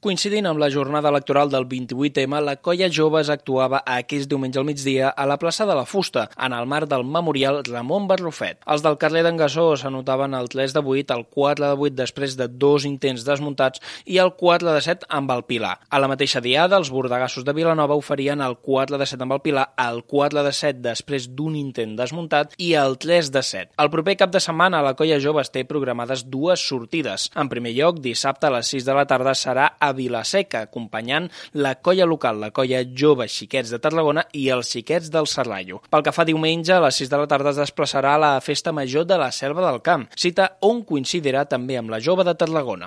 coincidint amb la jornada electoral del 28M, la Colla Joves actuava aquest diumenge al migdia a la plaça de la Fusta, en el marc del memorial Ramon Barrufet. Els del carrer d'en Gassó s'anotaven el 3 de 8, el 4 de 8 després de 2 intents desmuntats i el 4 de 7 amb el Pilar. A la mateixa diada, els bordegassos de Vilanova oferien el 4 de 7 amb el Pilar, el 4 de 7 després d'un intent desmuntat i el 3 de 7. El proper cap de setmana la Colla Joves té programades dues sortides. En primer lloc, dissabte a les 6 de la tarda serà a Vilaseca, acompanyant la colla local, la Colla Joves Xiquets de Tarragona i els Xiquets del Serrallo. Pel que fa diumenge, a les 6 de la tarda es desplaçarà a la Festa Major de la Selva del Camp, cita on coincidirà també amb la Jove de Tarragona.